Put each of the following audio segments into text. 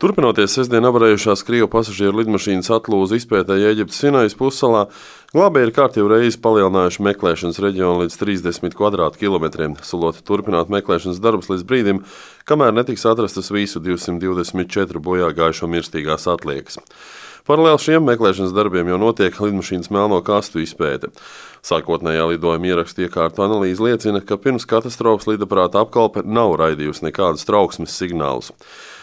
Turpinoties sestdien avarējušās Krievu pasažieru lidmašīnas atlūzu izpētēji Ēģiptes Sinajas pussalā, glābēji kārtīgi reizi palielinājuši meklēšanas reģionu līdz 30 kvadrātkilometriem, solot turpināt meklēšanas darbus līdz brīdim, kamēr netiks atrastas visu 224 bojāgājušo mirstīgās atliekas. Paralēli šiem meklēšanas darbiem jau notiek lidmašīnas melno kastu izpēte. Sākotnējā lidojuma ierakstu iekārtu analīze liecina, ka pirms katastrofas lidaparāta apkalpe nav raidījusi nekādus trauksmes signālus.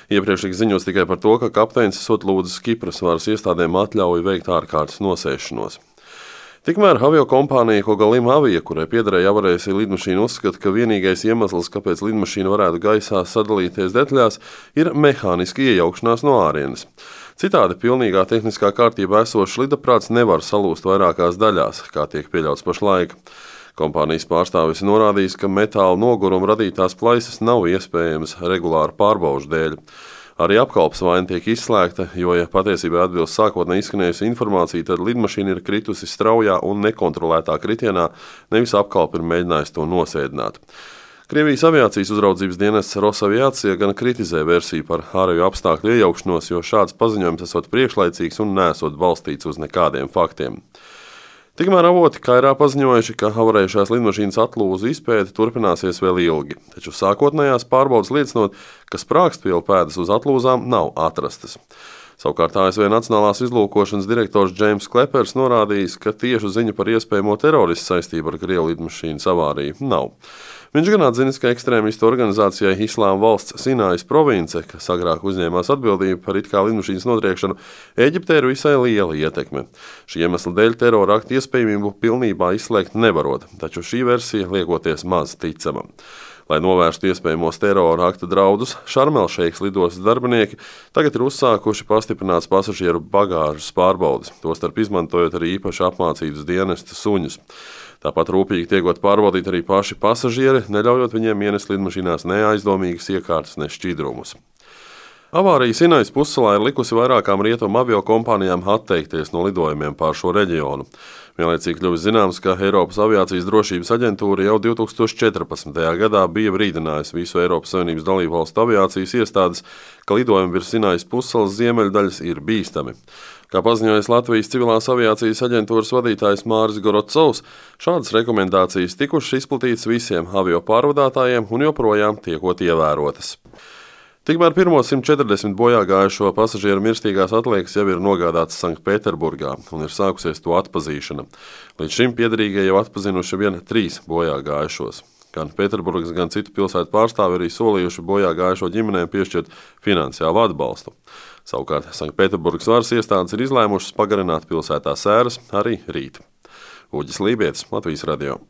Iepriekš tika ziņots tikai par to, ka kapteinis esot lūdzis Kipras varas iestādēm atļauju veikt ārkārtas nosēšanos. Tikmēr aviokompānija Kogalim Avia, kurai piederēja avarējusī lidmašīna, uzskata, ka vienīgais iemesls, kāpēc lidmašīna varētu gaisā sadalīties detaļās, ir mehāniska iejaukšanās no ārienes. Citādi pilnīgā tehniskā kārtībā esošs lidaprāts nevar salūst vairākās daļās, kā tiek pieļauts pašlaik. Kompānijas pārstāvis norādījis, ka metāla noguruma radītās plaisas nav iespējamas regulāru pārbaužu dēļ. Arī apkalpes vaina tiek izslēgta, jo, ja patiesībā atbilst sākotnēji izskanējusi informācija, tad lidmašīna ir kritusi straujā un nekontrolētā kritienā, nevis apkalpe ir mēģinājusi to nosēdināt. Krievijas aviācijas uzraudzības dienests Rosaviācija gan kritizē versiju par ārējo apstākļu iejaukšanos, jo šāds paziņojums esot priekšlaicīgs un nesot balstīts uz nekādiem faktiem. Tikmēr avoti Kairā paziņojuši, ka avarējušās lidmašīnas atlūzu izpēte turpināsies vēl ilgi, taču sākotnējās pārbaudes liecinot, ka sprāgstvielu pēdas uz atlūzām nav atrastas. Savukārt ASV Nacionālās izlūkošanas direktors Džeims Klepers norādījis, ka tiešu ziņu par iespējamo teroristu saistību ar Krievu lidmašīnas avāriju nav. Viņš gan atzinis, ka ekstrēmistu organizācijai Islāma valsts Sinajas province, kas agrāk uzņēmās atbildību par it kā lidmašīnas notriekšanu, Ēģiptē ir visai liela ietekme. Šī iemesla dēļ terora aktu iespējamību pilnībā izslēgt nevarot, taču šī versija liekoties maz ticama. Lai novērstu iespējamos terora akta draudus, Šarmelšeikas lidostas darbinieki tagad ir uzsākuši pastiprināts pasažieru bagāžas pārbaudes, tostarp izmantojot arī īpaši apmācītus dienesta suņus. Tāpat rūpīgi tiekot pārbaudīt arī paši pasažieri, neļaujot viņiem ienest lidmašīnās ne aizdomīgas iekārtas, ne šķidrumus. Avārija Sinajas pussalā ir likusi vairākām rietumu aviokompānijām atteikties no lidojumiem pār šo reģionu. Vienlaicīgi kļuvis zināms, ka Eiropas aviācijas drošības aģentūra jau 2014. gadā bija brīdinājusi visu Eiropas Savienības dalībvalstu aviācijas iestādes, ka lidojumi virs Sinajas pussalas ziemeļdaļas ir bīstami. Kā paziņojis Latvijas civilās aviācijas aģentūras vadītājs Māris Gorocovs, šādas rekomendācijas tikušas izplatītas visiem avio pārvadātājiem un joprojām tiekot ievērotas. Tikmēr pirmo 140 bojāgājušo pasažieru mirstīgās atliekas jau ir nogādātas Sanktpēterburgā un ir sākusies to atpazīšana. Līdz šim piederīgie jau atpazinuši vien 3 bojāgājušos. Gan Pēterburgas, gan citu pilsētu pārstāvi arī solījuši bojāgājušo ģimenēm piešķirt finansiālu atbalstu. Savukārt Sanktpēterburgas varas iestādes ir izlēmušas pagarināt pilsētā sēras arī rīt. Uģis Lībietis, Latvijas radio.